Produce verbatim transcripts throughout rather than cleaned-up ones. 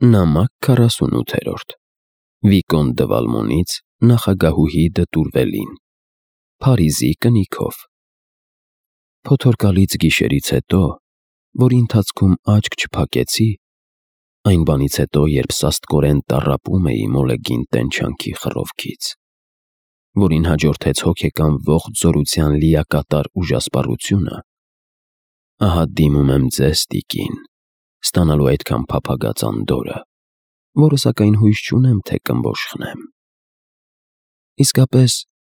Նամակ քառասունութերորդ Վիկոն դը Վալմոնից նախագահուհի դը Տուրվելին Փարիզի կնիքով Փոթորկալից գիշերից հետո, որի ընթացքում աչք չփակեցի, այն բանից հետո, երբ սաստկորեն տառապում էի մոլեգին տենչանքի խռովքից, որին հաջորդեց հոգեկան ողջ զորության լիակատար ուժասպառությունը, ահա դիմում եմ ձեզ, տիկին, ստանալու այդքան փափագած անդորրը, որը սակայն հույս չունեմ, թե կըմբոշխնեմ։ Իսկապես,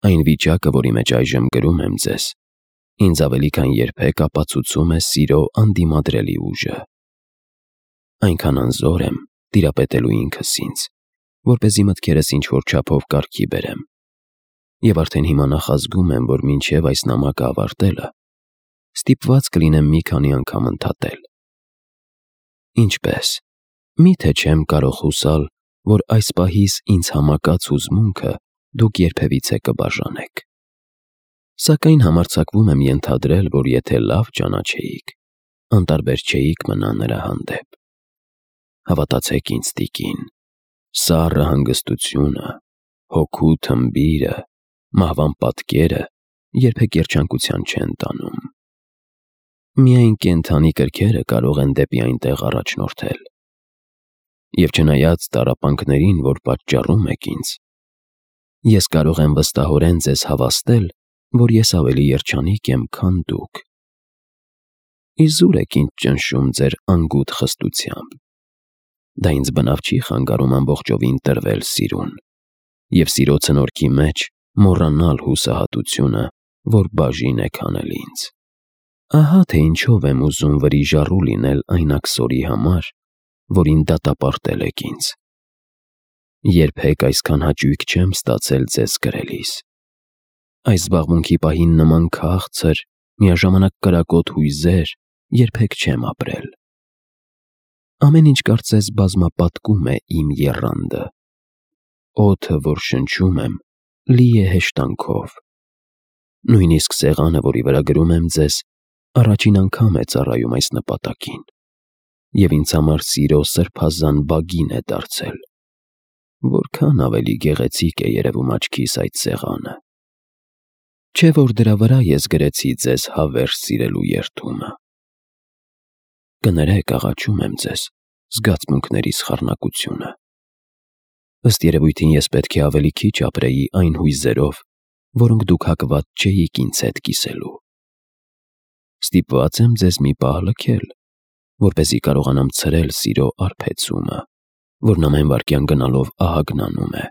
այն վիճակը, որի մեջ այժմ գրում եմ ձեզ, ինձ ավելի քան երբեք ապացուցում է սիրո անդիմադրելի ուժը։ Այնքան անզոր եմ տիրապետելու ինքս ինձ, որպեսզի մտքերս ինչ-որ չափով կարգի բերեմ, և արդեն հիմա նախազգում եմ, որ մինչև այս նամակը ավարտելը, ստիպված կլինեմ մի քանի անգամ ընդհատել։ Ինչպե՞ս, մի՞թե չեմ կարող հուսալ, որ այս պահիս ինձ համակած հուզմունքը դուք երբևիցե կբաժանեք։ Սակայն համարձակվում եմ ենթադրել, որ եթե լավ ճանաչեիք, անտարբեր չէիք մնա նրա հանդեպ։ Հավատացեք ինձ, տիկին, սառը հանգստությունը, հոգու թմբիրը, մահվան պատկերը երբեք երջանկության չեն տանում։ Միայն կենդանի կրքերը կարող են դեպի այնտեղ առաջնորդել։ Եվ չնայած տառապանքներին, որ պատճառում եք ինձ, ես կարող եմ վստահորեն ձեզ հավաստել, որ ես ավելի երջանիկ եմ, քան դուք։ Իզուր եք ինձ ճնշում ձեր անգութ խստությամբ։ Դա ինձ բնավ չի խանգարում ամբողջովին տրվել սիրուն, և սիրո ցնորքի մեջ մոռանալ հուսահատությունը, որ բաժին եք անել ինձ։ Ահա թե ինչով եմ ուզում վրիժառու լինել այն աքսորի համար, որին դատապարտել եք ինձ։ Երբեք այսքան հաճույք չեմ ստացել ձեզ գրելիս։ Այս զբաղմունքի պահին նման քաղցր, միաժամանակ կրակոտ հույզեր երբեք չեմ ապրել։ Ամեն ինչ կարծես բազմապատկում է իմ եռանդը։ Օդը, որ շնչում եմ, լի է հեշտանքով։ Նույնիսկ սեղանը, որի վրա գրում եմ ձեզ, առաջին անգամ է ծառայում այս նպատակին, և ինձ համար սիրո սրբազան բագին է դարձել։ Որքան ավելի գեղեցիկ է երևում աչքիս այդ սեղանը։ Չէ՞ որ դրա վրա ես գրեցի ձեզ հավերժ սիրելու երդումը։ Կներեք, աղաչում եմ ձեզ, զգացմունքներիս խառնակությունը։ Ըստ երևույթին ես պետք է ավելի քիչ ապրեի այն հույզերով, որոնք դուք հակված չէիք ինձ հետ կիսելու։ Ստիպված եմ ձեզ մի պահ լքել, որպեսզի կարողանամ ցրել սիրո արբեցումը, որն ամեն վայրկյան գնալով ահագնանում է,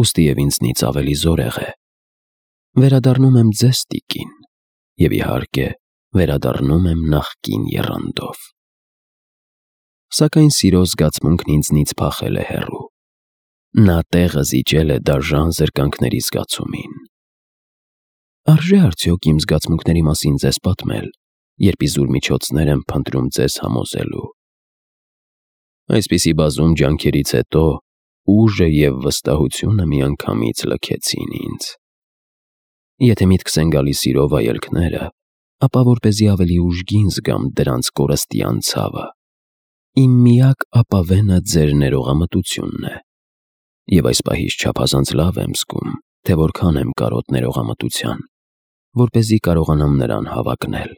ուստի և ինձնից ավելի զորեղ է։ Վերադառնում եմ ձեզ, տիկին, և իհարկե վերադառնում եմ նախկին եռանդով։ Սակայն սիրո զգացմունքն ինձնից փախել է հեռու։ Նա տեղը զիջել է դաժան զրկանքների զգացումին։ Արժե՞ արդյոք իմ զգացմունքների մասին ձեզ պատմել, երբ իզուր միջոցներ եմ փնտրում ձեզ համոզելու։ Այսպիսի բազում ջանքերից հետո ուժը և վստահությունը միանգամից լքեցին ինձ։ Եթե միտքս են գալիս սիրո վայելքները, ապա որպեսզի ավելի ուժգին զգամ դրանց կորստյան ցավը, իմ միակ ապավենը ձեր ներողամտությունն է, և այս պահից չափազանց լավ եմ զգում, թե որքան եմ կարոտ ներողամտության, որպեսզի կարողանամ նրան հավակնել։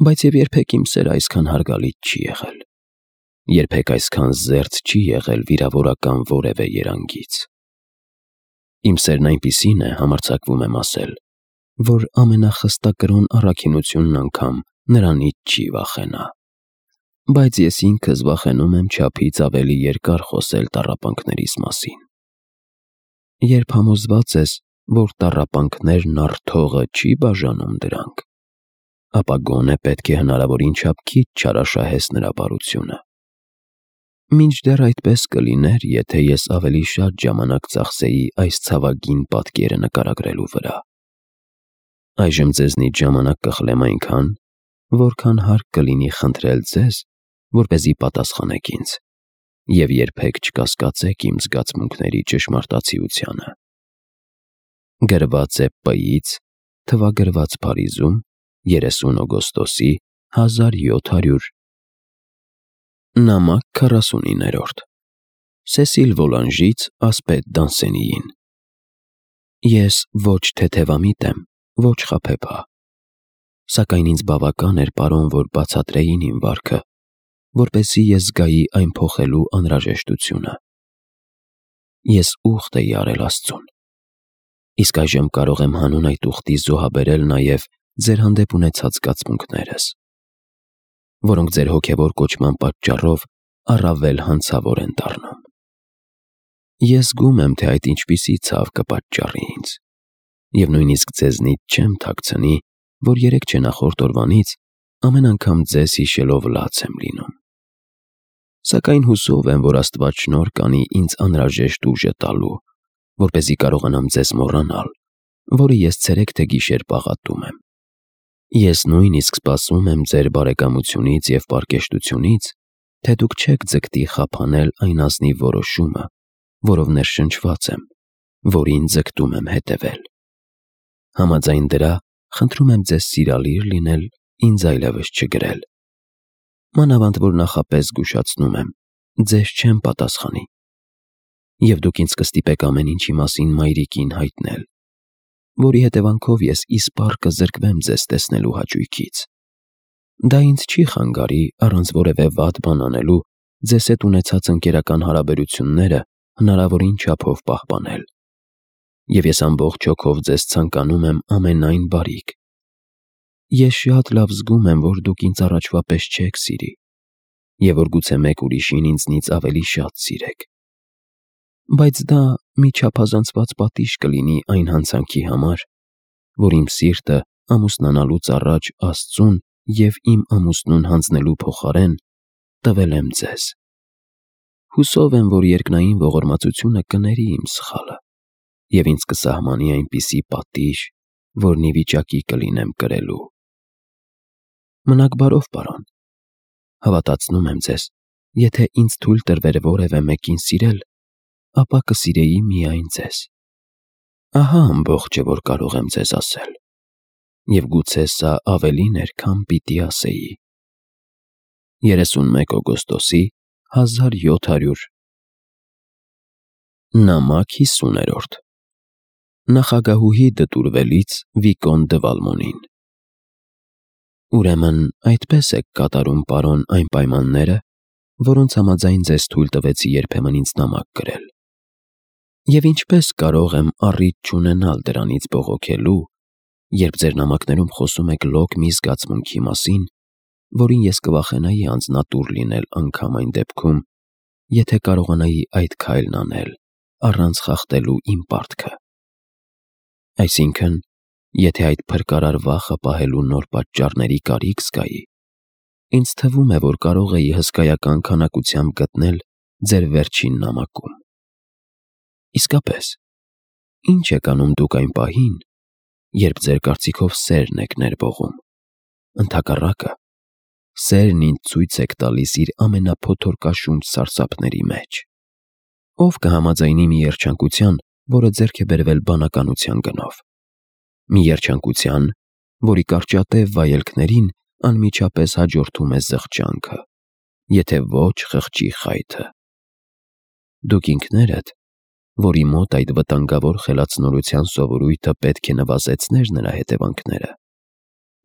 Բայց և երբեք իմ սերը այսքան հարգալից չի եղել, երբեք այսքան զերծ չի եղել վիրավորական որևէ երանգից։ Իմ սերն այնպիսին է, համարձակվում եմ ասել, որ ամենախստակրոն առաքինությունն անգամ նրանից չի վախենա։ Բայց ես ինքս վախենում եմ չափից ավելի երկար խոսել տառապանքներիս մասին։ Երբ համոզված ես, որ տառապանքներն առթողը չի բաժանում դրանք, ապա գոնե պետք է հնարավորին չափ քիչ չարաշահես նրա բարությունը։ Մինչդեռ այդպես կլիներ, եթե ես ավելի շատ ժամանակ ծախսեի այս ցավագին պատկերը նկարագրելու վրա։ Այժմ ձեզնից ժամանակ կխլեմ այնքան, որքան հարկ կլինի խնդրել ձեզ, որպեսզի պատասխանեք ինձ, և երբեք չկասկածեք իմ զգացմունքների ճշմարտացիությանը։ Գրված է П-ից, թվագրված Փարիզում, երեսուն օգոստոսի հազար յոթ հարյուր Նամակ քառասունիններորդ Սեսիլ Վոլանժից ասպետ Դանսենիին Ես ոչ թեթևամիտ եմ, ոչ խաբեբա, սակայն ինձ բավական էր, պարոն, որ բացատրեին իմ վարքը, որպեսզի ես զգայի այն փոխելու անհրաժեշտությունը։ Ես ուխտ էի արել Աստծուն, իսկ այժմ կարող եմ հանուն այդ ուխտի զոհաբերել նաև ձեր հանդեպ ունեցած զգացմունքներս, որոնք ձեր հոգևոր կոչման պատճառով առավել հանցավոր են դառնում։ Ես զգում եմ, թե այդ ինչպիսի ցավ կպատճառի ինձ, և նույնիսկ ձեզնից չեմ թաքցնի, որ երեկ չնախորդ օրվանից ամեն անգամ ձեզ հիշելով լաց եմ լինում։ Սակայն հուսով եմ, որ Աստված շնորհ կանի ինձ անհրաժեշտ ուժը տալու, որպեսզի կարողանամ ձեզ մոռանալ, որը ես ցերեկ թե գիշեր պաղատում եմ։ Ես նույնիսկ սպասում եմ ձեր բարեկամությունից և պարկեշտությունից, թե դուք չեք ձգտի խափանել այն ազնիվ որոշումը, որով ներշնչված եմ, որին ձգտում եմ հետևել։ Համաձայն դրա խնդրում եմ ձեզ սիրալիր լինել, ինձ այլևս չգրել։ Մանավանդ որ նախապես զգուշացնում եմ, ձեզ չեմ պատասխանի, և դուք ինձ կստիպեք ամեն ինչի մասին մայրիկին հայտնել, որի հետևանքով ես իսպառ կզրկվեմ ձեզ տեսնելու հաճույքից։ Դա ինձ չի խանգարի առանց որևէ վատ բան անելու ձեզ հետ ունեցած ընկերական հարաբերությունները հնարավորին չափով պահպանել, և ես ամբողջ հոգով ձեզ ցանկանում եմ ամենայն բարիք։ Ես շատ լավ զգում եմ, որ դուք ինձ առաջվա պես չեք սիրի, և որ գուցե մեկ ուրիշին ինձնից ավելի շատ սիրեք, բայց դա մի չափազանցված պատիժ կլինի այն հանցանքի համար, որ իմ սիրտը ամուսնանալուց առաջ Աստծուն և իմ ամուսնուն հանձնելու փոխարեն տվել եմ ձեզ։ Հուսով եմ, որ երկնային ողորմածությունը կների իմ սխալը և ինձ կսահմանի այնպիսի պատիժ, որն ի վիճակի կլինեմ կրելու։ Մնաք բարով, պարոն։ Հավատացնում եմ ձեզ, եթե ինձ թույլ տրվեր որևէ մեկին սիրել, ապա կսիրեի միայն ձեզ։ Ահա ամբողջը, որ կարող եմ ձեզ ասել, և գուցե սա ավելին էր, քան պիտի ասեի։ երեսունմեկ օգոստոսի հազար յոթ հարյուր Նամակ հիսուներորդ Նախագահուհի դտուրվելից Վիկոն դը Վալմոնին Ուրեմն այդպես եք կատարում, պարոն, այն պայմանները, որոնց համաձայն ձեզ թույլ տվեցի երբեմն ինձ նամակ գրել։ Եվ ինչպես կարող եմ առիթ չունենալ դրանից բողոքելու, երբ ձեր նամակներում խոսում եք լոկ մի զգացմունքի մասին, որին ես կվախենայի անձնատուր լինել անգամ այն դեպքում, եթե կարողանայի այդ քայլն անել առանց խախտելու իմ պարտքը։ Այսինքն, եթե այդ փրկարար վախը պահելու նոր պատճառների կարիք զգայի, ինձ թվում է, որ կարող էի հսկայական քանակությամբ գտնել ձեր վերջին նամակում։ Իսկապես, ի՞նչ եք անում դուք այն պահին, երբ ձեր կարծիքով սերն եք ներբողում։ Ընդհակառակը, սերն ինձ ցույց եք տալիս իր ամենափոթորկաշունչ սարսափների մեջ։ Ո՞վ կհամաձայնի մի երջանկության, որը ձեռք է բերվել բանականության գնով։ Մի երջանկության, որի կարճատև վայելքներին անմիջապես հաջորդում է զղջանքը, եթե ոչ խղճի խայթը։ Դուք ինքներդ, որի մոտ այդ վտանգավոր խելացնորության սովորույթը պետք է նվազեցներ նրա հետևանքները,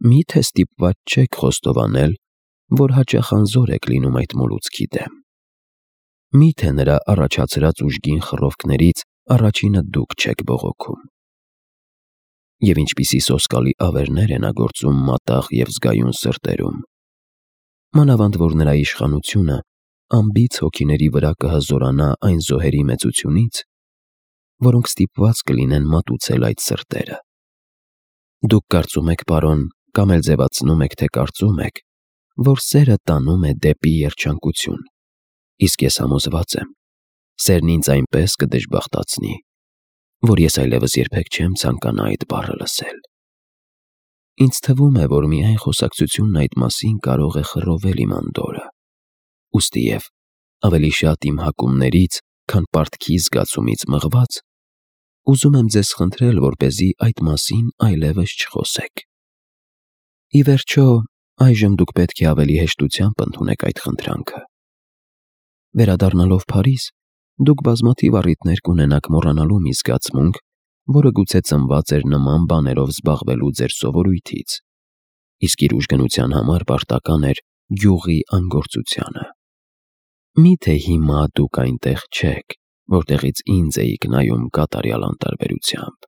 մի՞թե ստիպված չեք խոստովանել, որ հաճախ անզոր եք լինում այդ մոլուցքի դեմ։ Մի՞թե նրա առաջացրած ուժգին խռովքներից առաջինը դուք չեք բողոքում։ Եվ ինչպիսի սոսկալի ավերներ է նա գործում մատաղ և զգայուն սրտերում, մանավանդ որ նրա իշխանությունը անբիծ հոգիների վրա կհզորանա այն զոհերի մեծությունից, որոնք ստիպված կլինեն մատուցել այդ սրտերը։ Դուք կարծում եք, պարոն, կամ էլ ձևացնում եք, թե կարծում եք, որ սերը տանում է դեպի երջանկություն, իսկ ես համոզված եմ, սերն ինձ այնպես կդժբախտացնի, որ ես այլևս երբեք չեմ ցանկանա այդ բառը լսել։ Ինձ թվում է, որ միայն խոսակցությունն այդ մասին կարող է խռովել իմ անդորրը, ուստիև ավելի շատ իմ հակումներից, քան պարտքի զգացումից մղված, ուզում եմ ձեզ խնդրել, որպեսզի այդ մասին այլևս չխոսեք։ Ի վերջո, այժմ դուք պետք է ավելի հեշտությամբ ընդունեք այդ խնդրանքը, Վերադառնալով Փարիզ, դուք բազմաթիվ առիթներ կունենաք մոռանալու մի զգացմունք, որը գուցե ծնված էր նման բաներով զբաղվելու ձեր սովորույթից, իսկ իր ուժգնության համար պարտական էր գյուղի անգործությանը։ Միթե հիմա դուք այնտեղ չեք, որտեղից ինձ էիք նայում կատարյալ անտարբերությամբ։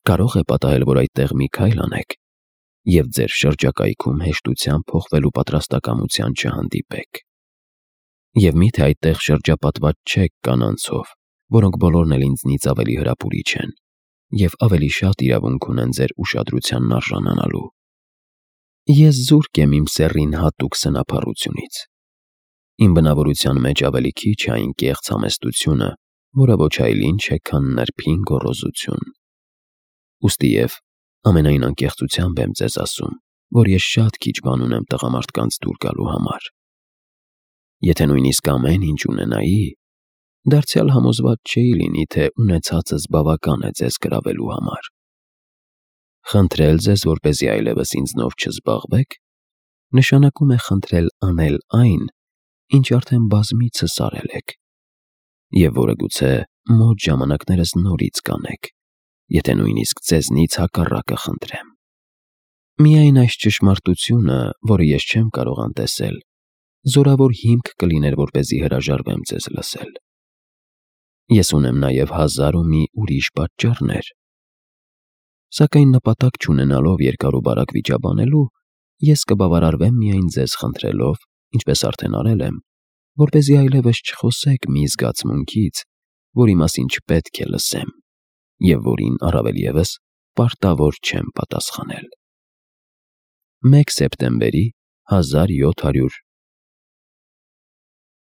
Կարող է պատահել, որ այդտեղ մի քայլ անեք, և ձեր շրջակայքում հեշտությամբ փոխվելու պատրաստակամության չհանդիպեք։ Եվ միթե այդտեղ շրջապատված չեք կանանցով, որոնք բոլորն էլ ինձնից ավելի հրապուրիչ են և ավելի շատ իրավունք ունեն ձեր ուշադրությանն արժանանալու։ Ես զուրկ եմ իմ սեռին հատուկ սնափառությունից։ Իմ բնավորության մեջ ավելի քիչ է այն կեղծ համեստությունը, որը ոչ այլ ինչ է, քան նրբին գոռոզություն։ Ուստի և ամենայն անկեղծությամբ եմ ձեզ ասում, որ ես շատ քիչ բան ունեմ տղամարդկանց դուր գալու համար։ Եթե նույնիսկ ամեն ինչ ունենայի, դարձյալ համոզված չէի լինի, թե ունեցածս բավական է ձեզ գրավելու համար։ Խնդրել ձեզ, որպեսզի այլևս ինձնով չզբաղվեք, նշանակում է խնդրել անել այն, ինչ արդեն բազմիցս արել եք, և որը գուցե մոտ ժամանակներս նորից կանեք, եթե նույնիսկ ձեզնից հակառակը խնդրեմ։ Միայն այս ճշմարտությունը, որը ես չեմ կարող անտեսել, զորավոր հիմք կլիներ, որպեսզի հրաժարվեմ ձեզ լսել։ Ես ունեմ նաև հազար ու մի ուրիշ պատճառներ։ Սակայն նպատակ չունենալով երկար ու բարակ վիճաբանելու, ես կբավարարվեմ միայն ձեզ խնդրելով, ինչպես արդեն արել եմ, որպեսզի այլևս չխոսեք մի զգացմունքից, որի մասին չպետք է լսեմ, և որին առավել ևս պարտավոր չեմ պատասխանել։ մեկ սեպտեմբերի հազար յոթ հարյուր